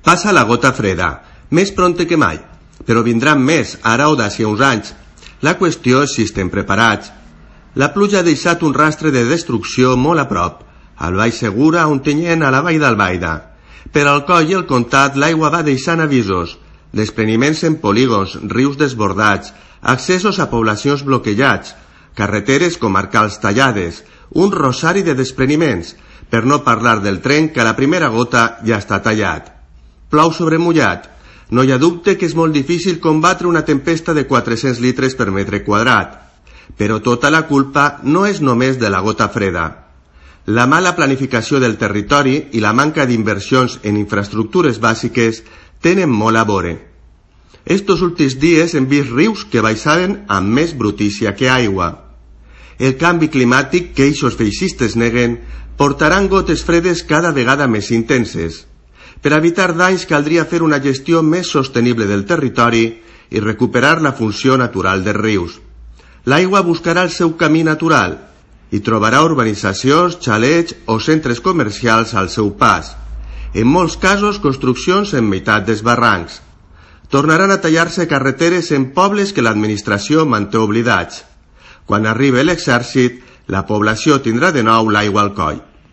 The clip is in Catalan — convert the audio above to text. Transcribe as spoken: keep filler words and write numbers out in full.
Passa la gota freda, més pronte que mai, però vindran més, ara o d'ací a uns anys. La qüestió és si estem preparats. La pluja ha deixat un rastre de destrucció molt a prop, al Baix Segura, a Ontinyent, a la vall d'Albaida. Per al Coll i el Comtat l'aigua va deixant avisos, despreniments en polígons, rius desbordats, accessos a poblacions bloquejats, carreteres comarcals tallades, un rosari de despreniments, per no parlar del tren que a la primera gota ja està tallat. Plou sobre mullat. No hi ha dubte que és molt difícil combatre una tempesta de quatre-cents litres per metre quadrat. Però tota la culpa no és només de la gota freda. La mala planificació del territori i la manca d'inversions en infraestructures bàsiques tenen molt a veure. Estos últims dies hem vist rius que baixaven amb més brutícia que aigua. El canvi climàtic que eixos feixistes neguen portaran gotes fredes cada vegada més intenses. Per evitar danys caldria fer una gestió més sostenible del territori i recuperar la funció natural dels rius. L'aigua buscarà el seu camí natural i trobarà urbanitzacions, xalets o centres comercials al seu pas. En molts casos, construccions en meitat dels barrancs. Tornaran a tallar-se carreteres en pobles que l'administració manté oblidats. Quan arribi l'exèrcit, la població tindrà de nou l'aigua al coll.